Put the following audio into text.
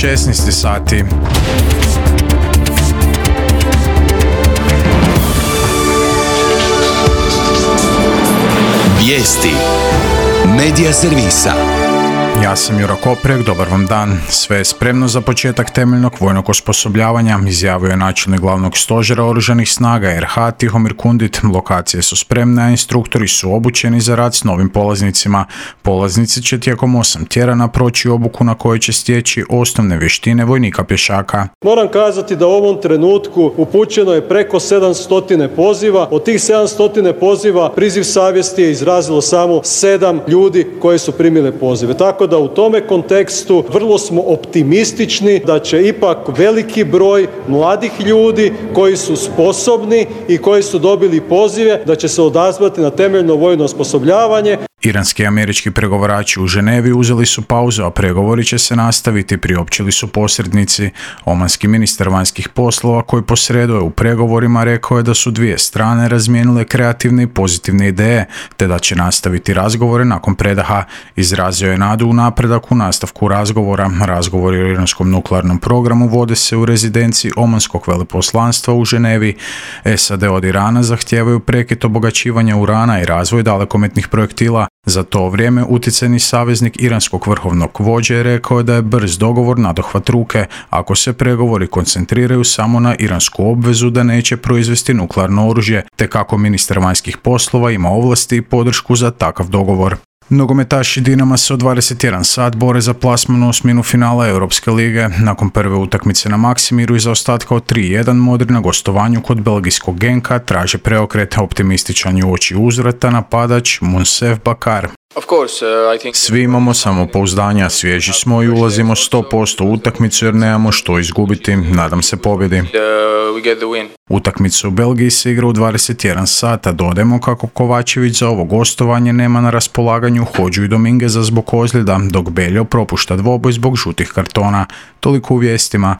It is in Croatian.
16 sati. Vijesti Medija servisa. Ja sam Juro Koprek, dobar vam dan. Sve je spremno za početak temeljnog vojnog osposobljavanja, izjavio je načelnik glavnog stožera oružanih snaga RH Tihomir Kundit. Lokacije su spremne, a instruktori su obučeni za rad s novim polaznicima. Polaznici će tijekom 8 tjedana proći obuku na kojoj će stječi osnovne vještine vojnika pješaka. Moram kazati da u ovom trenutku upućeno je preko 700 poziva. Od tih 700 poziva priziv savjesti je izrazilo samo 7 ljudi koji su primili pozive. Tako da u tome kontekstu vrlo smo optimistični da će ipak veliki broj mladih ljudi koji su sposobni i koji su dobili pozive da će se odazvati na temeljno vojno osposobljavanje. Iranski i američki pregovarači u Ženevi uzeli su pauzu, a pregovori će se nastaviti, priopćili su posrednici. Omanski ministar vanjskih poslova koji posreduje u pregovorima rekao je da su dvije strane razmijenile kreativne i pozitivne ideje, te da će nastaviti razgovore nakon predaha. Izrazio je nadu u napredak u nastavku razgovora. Razgovori o iranskom nuklearnom programu vode se u rezidenciji Omanskog veleposlanstva u Ženevi. SAD od Irana zahtijevaju prekid obogaćivanja urana i razvoj dalekometnih projektila. Za to vrijeme utjecajni saveznik iranskog vrhovnog vođe je rekao da je brz dogovor nadohvat ruke ako se pregovori koncentriraju samo na iransku obvezu da neće proizvesti nuklearno oružje, te kako ministar vanjskih poslova ima ovlasti i podršku za takav dogovor. Nogometaši Dinama se od 21 sat bore za plasman u osminu finala Europske lige. Nakon prve utakmice na Maksimiru i zaostatka od 3-1 Modri na gostovanju kod belgijskog Genka traže preokret. Optimističan je uoči uzvrata napadač Monsef Bakar. Svi imamo samopouzdanja, svježi smo i ulazimo 100% u utakmicu jer nemamo što izgubiti. Nadam se pobjedi. Utakmicu u Belgiji se igra u 21 sata. Dodajmo kako Kovačević za ovo gostovanje nema na raspolaganju Hodžu i Domingueza zbog ozljeda, dok Beljo propušta dvoboj zbog žutih kartona. Toliko u vijestima.